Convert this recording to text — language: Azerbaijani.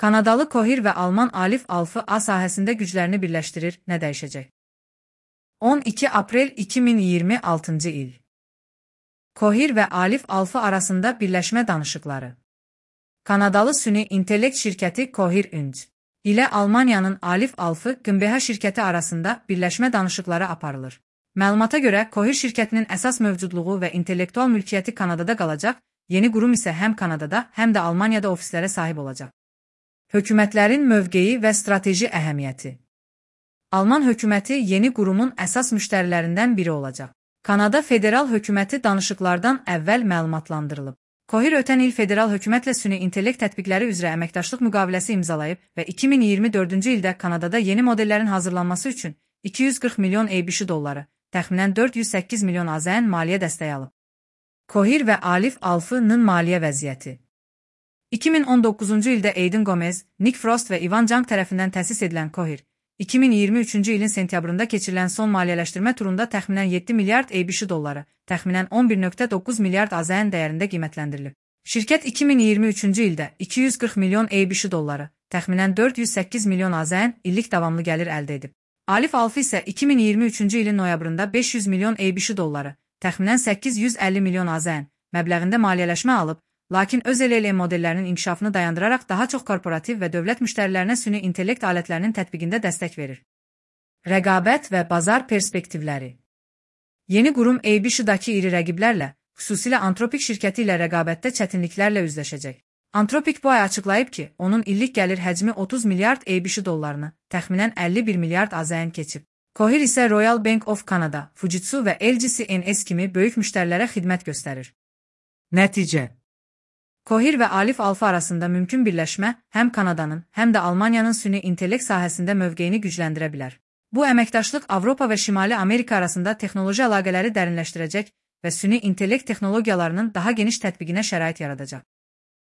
Kanadalı Coher və Alman Alif Alfı A sahəsində güclərini birləşdirir, nə dəyişəcək? 12 aprel 2026-cı il. Coher və Alif Alfı arasında birləşmə danışıqları. Kanadalı süni intellekt şirkəti Coher Inc. ilə Almaniyanın Alif Alfı GmbH şirkəti arasında birləşmə danışıqları aparılır. Məlumata görə, Coher şirkətinin əsas mövcudluğu və intellektual mülkiyyəti Kanadada qalacaq, yeni qurum isə həm Kanadada, həm də Almaniyada ofislərə sahib olacaq. Hökumətlərin mövqeyi və strateji əhəmiyyəti. Alman hökuməti yeni qurumun əsas müştərilərindən biri olacaq. Kanada federal hökuməti danışıqlardan əvvəl məlumatlandırılıb. Coher ötən il federal hökumətlə süni intellekt tətbiqləri üzrə əməkdaşlıq müqaviləsi imzalayıb və 2024-cü ildə Kanadada yeni modellərin hazırlanması üçün 240 milyon ABŞ dolları, təxminən 408 milyon AZN maliyyə dəstəyi alıb. Coher və Alif Alfı-nın maliyyə vəziyyəti. 2019-cu ildə Aiden Gomez, Nick Frost və Ivan Jung tərəfindən təsis edilən Coher, 2023-cü ilin sentyabrında keçirilən son maliyyələşdirmə turunda təxminən 7 milyard ABŞ dolları, təxminən 11,9 milyard AZN dəyərində qiymətləndirilib. Şirkət 2023-cü ildə 240 milyon ABŞ dolları, təxminən 408 milyon AZN illik davamlı gəlir əldə edib. Alif Alfı isə 2023-cü ilin noyabrında 500 milyon ABŞ dolları, təxminən 850 milyon AZN məbləğində maliyyələşmə alıb, lakin öz LLM modellərinin inkişafını dayandıraraq daha çox korporativ və dövlət müştərilərinə süni intellekt alətlərinin tətbiqində dəstək verir. Rəqabət və bazar perspektivləri. Yeni qurum ABC-dakı iri rəqiblərlə, xüsusilə Anthropic şirkəti ilə rəqabətdə çətinliklərlə üzləşəcək. Anthropic bu ay açıqlayıb ki, onun illik gəlir həcmi 30 milyard ABC dollarını, təxminən 51 milyard AZN keçib. Coher isə Royal Bank of Canada, Fujitsu və LG CNS kimi böyük müştərilərə xidmət göstərir. Nəticə. Coher və Alif Alfı arasında mümkün birləşmə həm Kanadanın, həm də Almaniyanın süni intellekt sahəsində mövqeyini gücləndirə bilər. Bu əməkdaşlıq Avropa və Şimali Amerika arasında texnoloji əlaqələri dərinləşdirəcək və süni intellekt texnologiyalarının daha geniş tətbiqinə şərait yaradacaq.